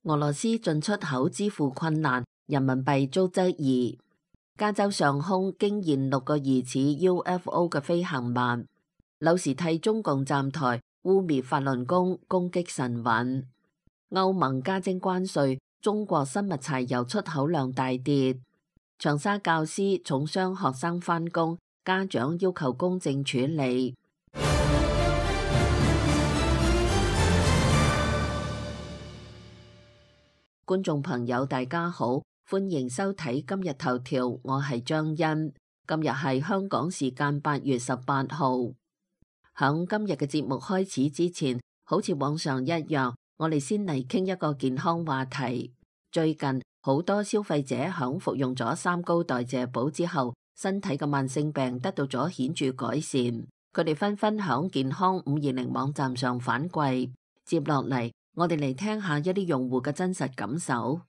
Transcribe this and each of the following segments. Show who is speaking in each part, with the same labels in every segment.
Speaker 1: 俄羅斯進出口支付困難，人民幣遭質疑。加州上空驚現6個疑似 UFO 嘅飛行物。柳時替中共站台污蔑法輪功攻擊神韻。歐盟加徵關稅，中國生物柴油出口量大跌。長沙教師重傷學生返工，家長要求公正處理。觀眾朋友大家好，歡迎收睇今日頭條，我係張欣。今日係香港時間8月18號。響今日嘅節目開始之前，好似往常一樣，我哋先嚟傾一個健康話題。最近好多消費者響服用咗三高代謝寶之後，身體嘅慢性病得到咗顯著改善，佢哋紛紛響健康520網站上反饋。接落嚟，我哋嚟聽下一啲用戶嘅真實感受。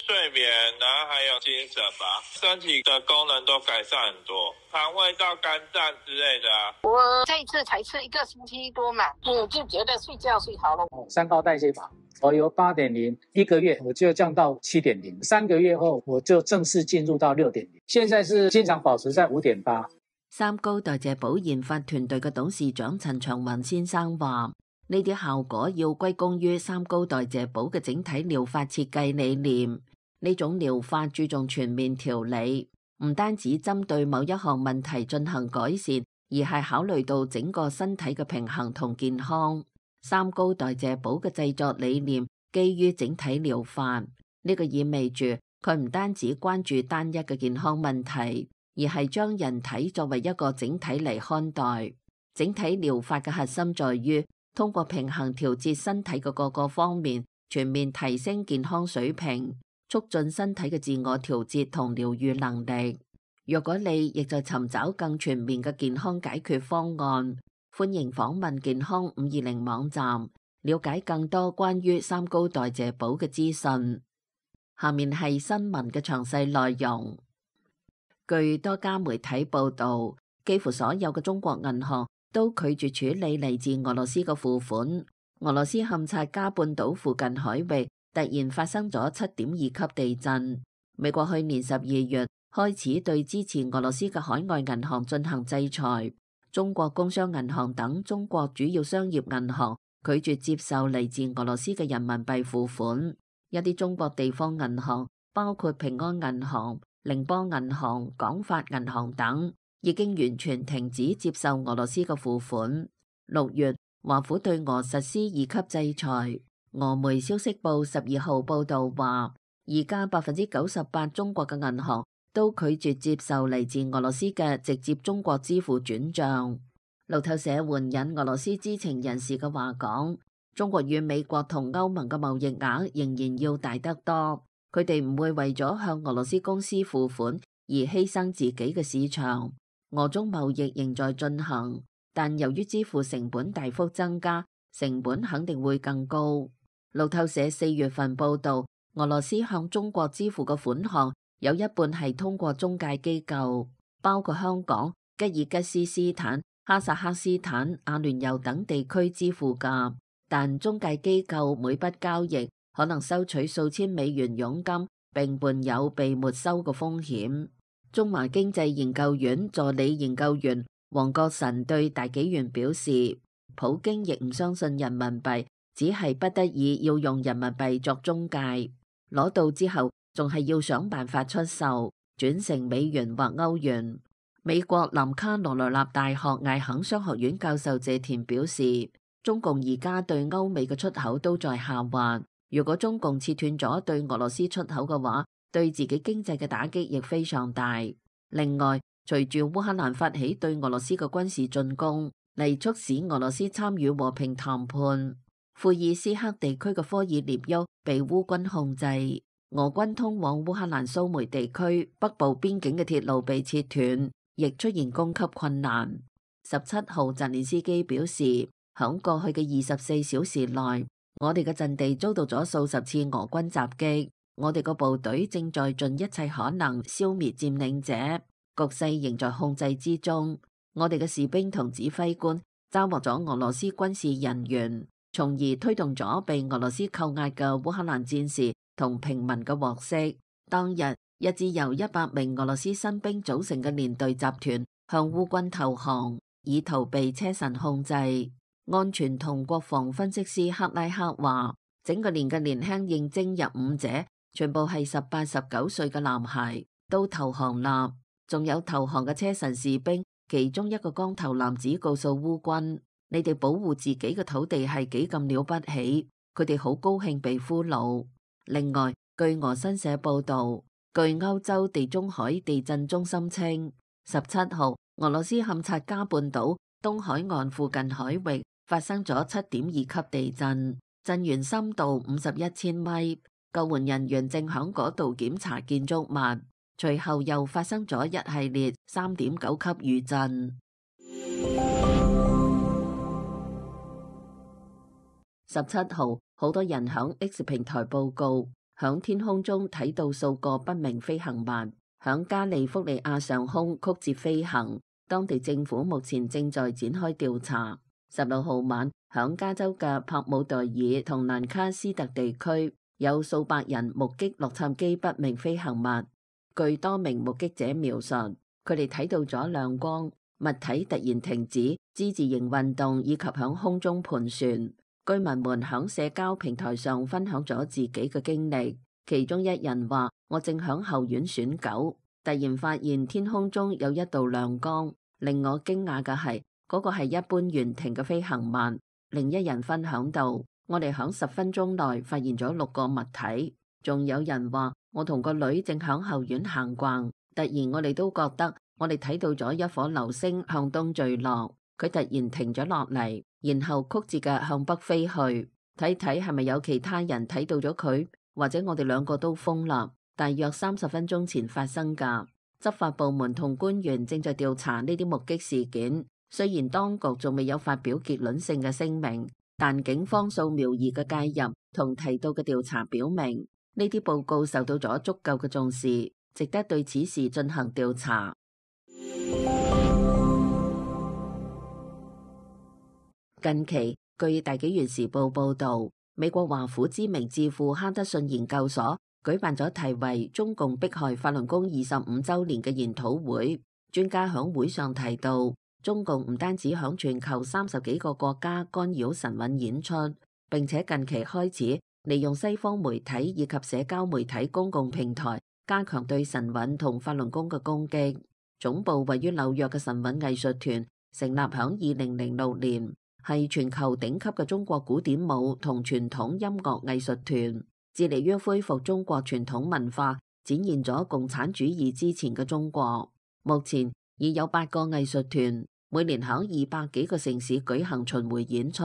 Speaker 2: 睡眠，然後還有精神吧，身體的功能都改善很多，腸胃道、肝臟之類的啊。
Speaker 3: 我這一次才吃1個星期多嘛，我就覺得睡覺睡好了。
Speaker 4: 三高代謝法，我由8.0，一個月我就降到7.0， 3個月後我就正式進入到6.0，現在是經常保持在5.8。
Speaker 1: 三高代謝寶研發團隊嘅董事長陳長雲先生話，呢啲效果要歸功於三高代謝寶嘅整體療法設計理念。呢種療法注重全面調理，唔單止針對某一項問題進行改善，而係考慮到整個身體嘅平衡同健康。三高代謝寶嘅製作理念基於整體療法，呢個意味住佢唔單止關注單一嘅健康問題，而係將人體作為一個整體嚟看待。整體療法嘅核心在於通過平衡調節身體嘅各個方面，全面提升健康水平，促進身體嘅自我調節同療癒能力。若果你亦在尋找更全面嘅健康解決方案，歡迎訪問健康520網站，了解更多關於三高代謝寶嘅資訊。下面係新聞嘅詳細內容。據多家媒體報道，幾乎所有嘅中國銀行都拒絕處理嚟自俄羅斯嘅付款。俄羅斯堪察加半島附近海域突然發生咗7.2級地震。美國去年12月開始對支持俄羅斯嘅海外銀行進行制裁。中國工商銀行等中國主要商業銀行拒絕接受嚟自俄羅斯嘅人民幣付款。一啲中國地方銀行，包括平安銀行、寧波銀行、廣發銀行等，已經完全停止接受俄羅斯嘅付款。6月，華府對俄實施2級制裁。俄媒消息報12號報道話，而家98%中國嘅銀行都拒絕接受嚟自俄羅斯嘅直接中國支付轉賬。路透社援引俄羅斯知情人士嘅話講，中國與美國同歐盟嘅貿易額仍然要大得多，佢哋唔會為咗向俄羅斯公司付款而犧牲自己嘅市場。俄中貿易仍在進行，但由於支付成本大幅增加，成本肯定會更高。路透社4月份報道，俄羅斯向中國支付嘅款項有一半係通過中介機構，包括香港、吉爾吉斯斯坦、哈薩克斯坦、阿聯酋等地區支付㗎。但中介機構每筆交易可能收取數千美元佣金，並伴有被沒收嘅風險。中華經濟研究院助理研究員黃國臣對大紀元表示，普京亦唔相信人民幣，只係不得已要用人民幣作中介，攞到之後仲係要想辦法出售，轉成美元或歐元。美國南卡羅來納大學艾肯商學院教授謝田表示，中共而家對歐美嘅出口都在下滑，如果中共切斷咗對俄羅斯出口嘅話，對自己經濟嘅打擊亦非常大。另外，隨住烏克蘭發起對俄羅斯嘅軍事進攻，嚟促使俄羅斯參與和平談判。庫爾斯克地區嘅科爾涅丘被烏軍控制，俄軍通往烏克蘭蘇梅地區北部邊境嘅鐵路被切斷，亦出現供給困難。17號澤連斯基表示，響過去嘅24小時內，我哋嘅陣地遭到咗數十次俄軍襲擊，我哋個部隊正在盡一切可能消滅佔領者，局勢仍在控制之中。我哋嘅士兵同指揮官抓獲咗俄羅斯軍事人員，從而推動咗被俄羅斯扣押嘅烏克蘭戰士同平民嘅獲釋。當日，一支由100名俄羅斯新兵組成嘅連隊集團向烏軍投降，以逃避車臣控制。安全同國防分析師克拉克話，整個連嘅年輕應徵入伍者全部係18、19歲嘅男孩，都投降啦。仲有投降嘅車臣士兵，其中一個光頭男子告訴烏軍，你哋保護自己嘅土地係幾咁了不起，佢哋好高興被俘虜。另外，據俄新社報道，據歐洲地中海地震中心稱，17號俄羅斯堪察加半島東海岸附近海域發生咗7.2級地震，震源深度51千米，救援人員正響嗰度檢查建築物。隨後又發生咗一系列3.9級餘震。17號，好多人響 X 平台報告，響天空中睇到數個不明飛行物，響加利福尼亞上空曲折飛行。當地政府目前正在展開調查。16號晚，響加州嘅帕姆代爾同蘭卡斯特地區，有數百人目擊洛杉磯不明飛行物。據多名目擊者描述，佢哋睇到咗亮光、物體突然停止之字形運動以及響空中盤旋。居民們響社交平台上分享咗自己嘅經歷，其中一人話：我正響後院選狗，突然發現天空中有一道亮光，令我驚訝嘅係嗰個係一般懸停嘅飛行物。另一人分享到：我哋響10分鐘內發現咗6個物體。仲有人話：我同個女正響後院行逛，突然我哋都覺得我哋睇到咗一顆流星向東墜落，佢突然停咗落嚟，然後曲折嘅向北飛去。睇睇係咪有其他人睇到咗佢，或者我哋兩個都瘋啦。大約30分鐘前發生噶。執法部門同官員正在調查呢啲目擊事件，雖然當局仲未有發表結論性嘅聲明，但警方掃描儀嘅介入同提到嘅調查表明，呢啲報告受到咗足夠嘅重視，值得對此事進行調查。近期，據大紀元時報報導，美國華府知名智庫哈德遜研究所舉辦咗題為《中共迫害法輪功25週年》嘅研討會。專家響會上提到，中共唔單止響全球30幾個國家干擾神韻演出，並且近期開始利用西方媒體以及社交媒體公共平台加強對神韻同法輪功嘅攻擊。總部位於紐約嘅神韻藝術團成立響2006年，係全球頂級嘅中國古典舞同傳統音樂藝術團，致力於恢復中國傳統文化，展現咗共產主義之前嘅中國。目前已有8個藝術團，每年響200幾個城市舉行巡迴演出，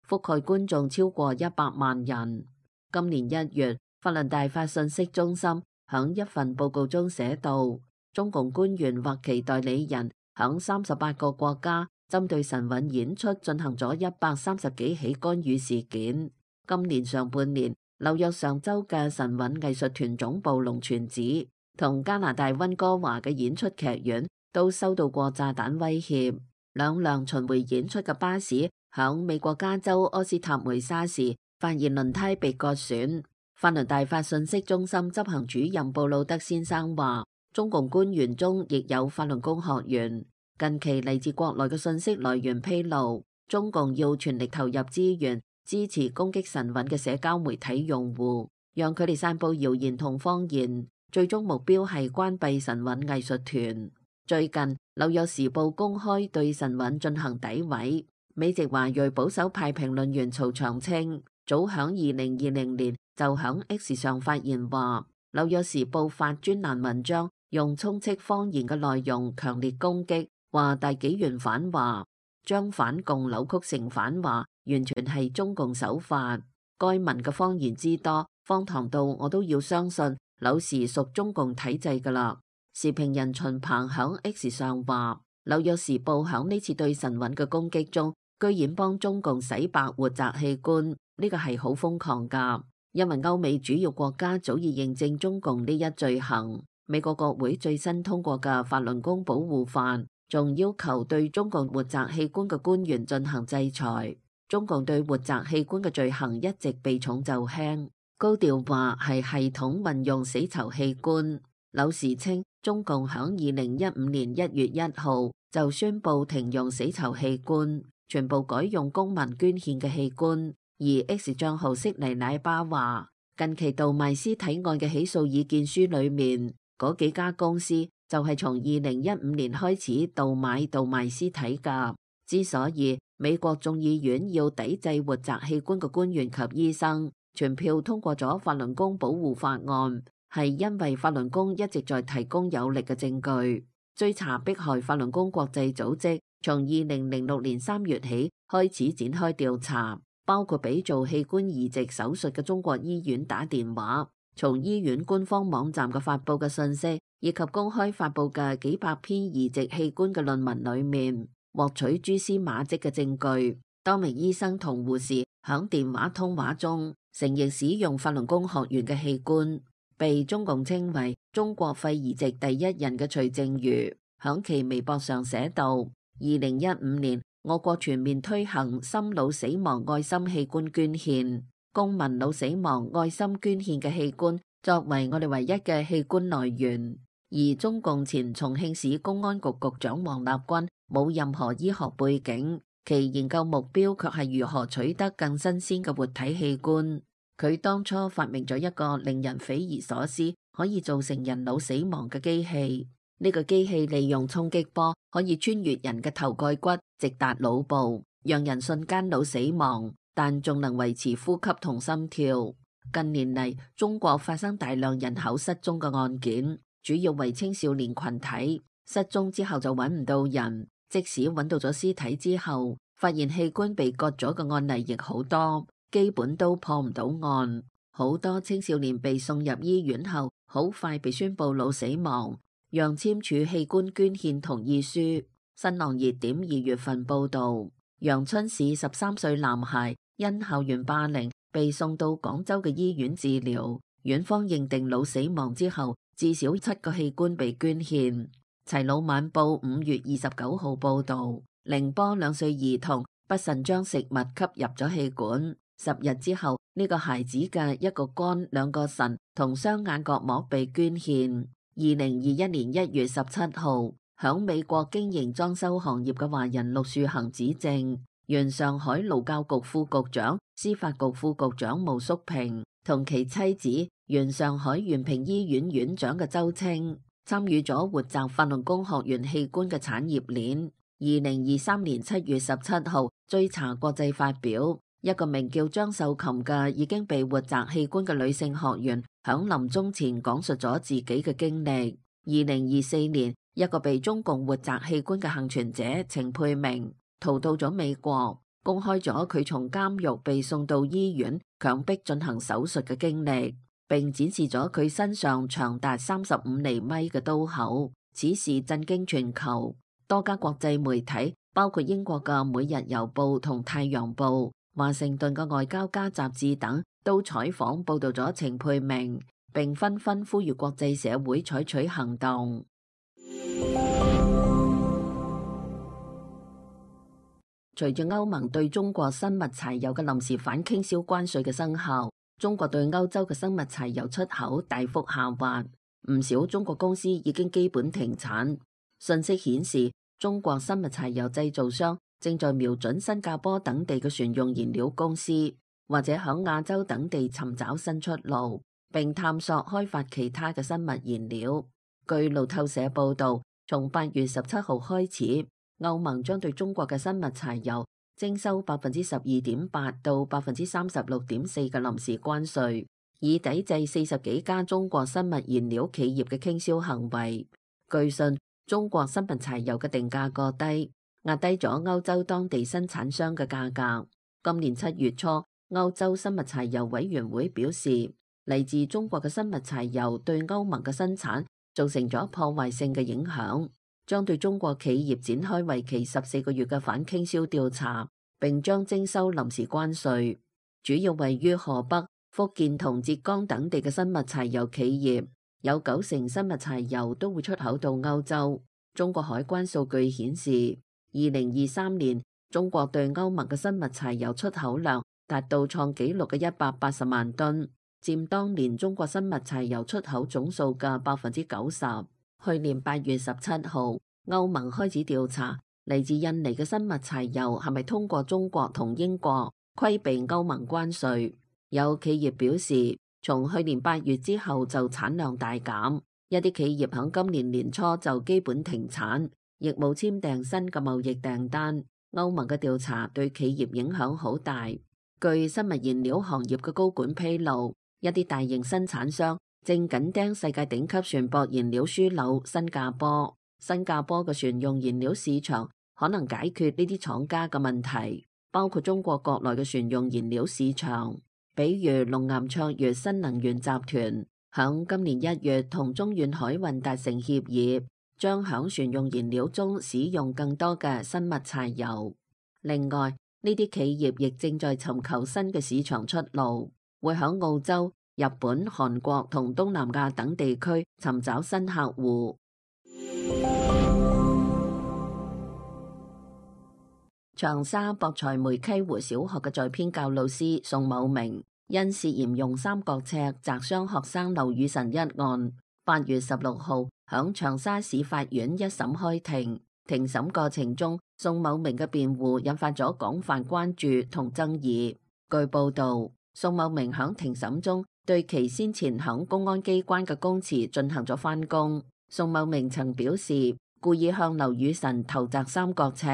Speaker 1: 覆蓋觀眾超過100萬人。今年1月，法輪大法信息中心響一份報告中寫道，中共官員或其代理人響38個國家針對神韻演出進行咗130幾起干預事件。今年上半年，紐約上州嘅神韻藝術團總部龍泉寺同加拿大溫哥華嘅演出劇院都收到過炸彈威脅。兩輛巡迴演出嘅巴士響美國加州柯斯塔梅沙時發現輪胎被割損。法輪大法信息中心執行主任布魯德先生話，中共官員中亦有法輪功學員。近期嚟自國內嘅信息來源披露，中共要全力投入資源支持攻擊神韻嘅社交媒體用戶，讓佢哋散布謠言同謊言，最終目標係關閉神韻藝術團。最近，紐約時報公開對神韻進行詆毀。美籍華裔保守派評論員曹長青早響2020年就響 X 上發言話，紐約時報發專欄文章用充斥謊言嘅內容強烈攻擊，話大紀元反華，將反共扭曲成反華，完全係中共手法。該文嘅謊言之多，荒唐到我都要相信柳時屬中共體制㗎喇。時評人秦鵬響 X 上話，紐約時報響呢次對神韻嘅攻擊中，居然幫中共洗白活摘器官，呢個係好瘋狂㗎。因為歐美主要國家早已認證中共呢一罪行。美國國會最新通過嘅法輪功保護法，仲要求對中共活摘器官嘅官員進行制裁。中共對活摘器官嘅罪行一直避重就輕，高調話係系統運用死囚器官。柳時稱，中共響2015年1月1號就宣布停用死囚器官，全部改用公民捐獻嘅器官。而 X 賬號悉尼奶爸話，近期盜賣屍體案嘅起訴意見書裏面，嗰幾家公司就係從2015年開始盜賣屍體㗎。之所以美國眾議院要抵制活摘器官嘅官員及醫生，全票通過咗法輪功保護法案，係因為法輪功一直在提供有力嘅證據。追查迫害法輪功國際組織從2006年3月起開始展開調查，包括俾做器官移植手術嘅中國醫院打電話，從醫院官方網站嘅發布嘅信息以及公開發布嘅幾百篇移植器官嘅論文裏面，獲取蛛絲馬跡嘅證據。多名醫生同護士響電話通話中承認使用法輪功學員嘅器官。被中共稱為中國肺移植第一人嘅徐正宇響其微博上寫道：2015年我國全面推行心腦死亡愛心器官捐獻，公民腦死亡愛心捐獻嘅器官作為我哋唯一嘅器官來源。而中共前重慶市公安局局長王立軍冇任何醫學背景，其研究目標卻係如何取得更新鮮嘅活體器官。佢當初發明咗一個令人匪夷所思，可以造成人腦死亡嘅機器。呢個機器利用衝擊波可以穿越人嘅頭蓋骨，直達腦部，讓人瞬間腦死亡，但仲能維持呼吸同心跳。近年嚟，中國發生大量人口失蹤嘅案件，主要為青少年群體。失蹤之後就揾唔到人，即使揾到咗屍體之後，發現器官被割咗嘅案例亦好多。基本都破唔到案，好多青少年被送入醫院後，好快被宣布腦死亡，讓簽署器官捐獻同意書。新浪熱點2月份報道，陽春市13歲男孩因校園霸凌被送到廣州嘅醫院治療，院方認定腦死亡之後，至少7個器官被捐獻。齊魯晚報5月29號報道，寧波2歲兒童不慎將食物吸入咗氣管。10日之後，呢個孩子嘅一個肝、2個腎同雙眼角膜被捐獻。2021年1月17號，響美國經營裝修行業嘅華人陸樹恒指證，原上海勞教局副局長、司法局副局長毛淑平同其妻子原上海原平醫院院長嘅周清參與咗活摘法輪功學員器官嘅產業鏈。2023年7月17號，追查國際發表。一個名叫張秀琴嘅已經被活摘器官嘅女性學員，響臨終前講述咗自己嘅經歷。2024年，一個被中共活摘器官嘅幸存者程佩明逃到咗美國，公開咗佢從監獄被送到醫院強迫進行手術嘅經歷，並展示咗佢身上長達35厘米嘅刀口。此事震驚全球，多家國際媒體，包括英國嘅《每日郵報》同《太陽報》、華盛頓嘅外交家雜誌等都採訪報道咗程佩明，並紛紛呼籲國際社會採取行動。隨住歐盟對中國生物柴油嘅臨時反傾銷關稅嘅生效，中國對歐洲嘅生物柴油出口大幅下滑，唔少中國公司已經基本停產。信息顯示，中國生物柴油製造商正在瞄準新加坡等地嘅船用燃料公司，或者響亞洲等地尋找新出路，並探索開發其他嘅生物燃料。據路透社報道，從8月17號開始，歐盟將對中國嘅生物柴油徵收12.8%到36.4%嘅臨時關稅，以抵制40幾家中國生物燃料企業嘅傾銷行為。據信，中國生物柴油嘅定價過低，壓低咗歐洲當地生產商嘅價格。今年7月初，歐洲生物柴油委員會表示，嚟自中國嘅生物柴油對歐盟嘅生產造成咗破壞性嘅影響，將對中國企業展開為期14個月嘅反傾銷調查，並將徵收臨時關稅。主要位於河北、福建同浙江等地嘅生物柴油企業，有90%生物柴油都會出口到歐洲。中國海關數據顯示，2023年中國對歐盟嘅生物柴油出口量達到創紀錄嘅180萬噸，佔當年中國生物柴油出口總數嘅90%。去年8月17號，歐盟開始調查嚟自印尼嘅生物柴油係咪通過中國同英國規避歐盟關稅。有企業表示，從去年8月之後就產量大減，一啲企業喺今年年初就基本停產，亦冇簽訂新嘅貿易訂單。歐盟嘅調查對企業影響好大。據生物燃料行業嘅高管披露，一啲大型生產商正緊盯世界頂級船舶燃料樞紐新加坡。新加坡嘅船用燃料市場可能解決呢啲廠家嘅問題，包括中國國內嘅船用燃料市場。比如龍岩卓越新能源集團響今年1月同中遠海運達成協議，將響船用燃料中使用更多嘅生物柴油。另外，呢啲企業亦正在尋求新嘅市場出路，會響澳洲、日本、韓國同東南亞等地區尋找新客戶。長沙博才梅溪湖小學嘅在編教老師宋某明因涉嫌用三角尺砸傷學生劉雨辰一案，8月16號響長沙市法院一審開庭。庭審過程中，宋某明嘅辯護引發咗廣泛關注同爭議。據報道，宋某明響庭審中對其先前響公安機關嘅供詞進行咗翻供。宋某明曾表示故意向劉雨辰投擲三角尺，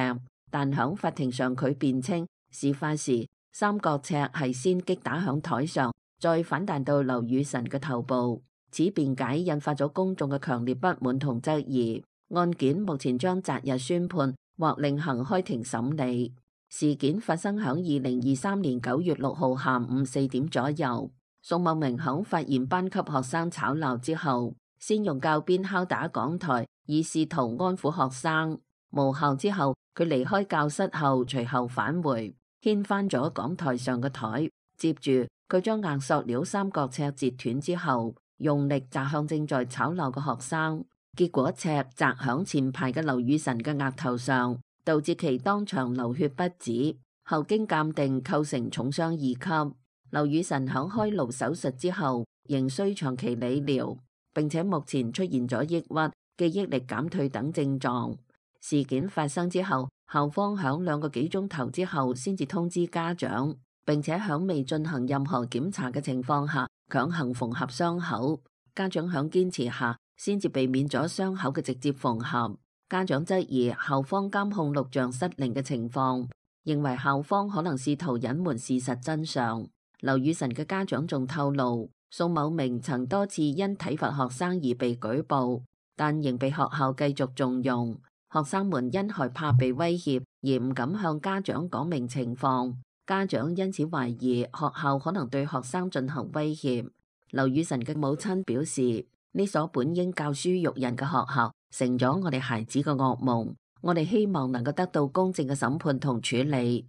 Speaker 1: 但響法庭上佢辯稱事發時三角尺係先擊打響台上，再反彈到劉雨辰嘅頭部。此辯解引發咗公眾嘅強烈不滿同質疑。案件目前將擇日宣判或另行開庭審理。事件發生響2023年9月6號下午4點左右。宋某明響發現班級學生吵鬧之後，先用教鞭敲打講台，以試圖安撫學生。無效之後，佢離開教室後，隨後返回，掀翻咗講台上嘅台。接住，佢將硬塑料三角尺截斷之後，用力砸向正在吵鬧嘅學生。結果尺砸響前排嘅劉雨辰嘅額頭上，導致其當場流血不止。後經鑑定構成重傷2級。劉雨辰響開顱手術之後，仍需長期理療，並且目前出現咗抑鬱、記憶力減退等症狀。事件發生之後，校方響2個幾鐘頭之後先至通知家長，並且響未進行任何檢查嘅情況下強行縫合傷口。家長響堅持下，先至避免咗傷口嘅直接縫合。家長質疑校方監控錄像失靈嘅情況，認為校方可能試圖隱瞞事實真相。劉雨辰嘅家長仲透露，宋某明曾多次因體罰學生而被舉報，但仍被學校繼續縱容。學生們因害怕被威脅而唔敢向家長講明情況，家長因此懷疑學校可能對學生進行威脅。劉雨辰嘅母親表示，呢所本應教書育人嘅學校成咗我哋孩子嘅噩夢，我哋希望能夠得到公正嘅審判同處理。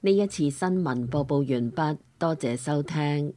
Speaker 1: 呢一次新聞播報完畢，多謝收聽。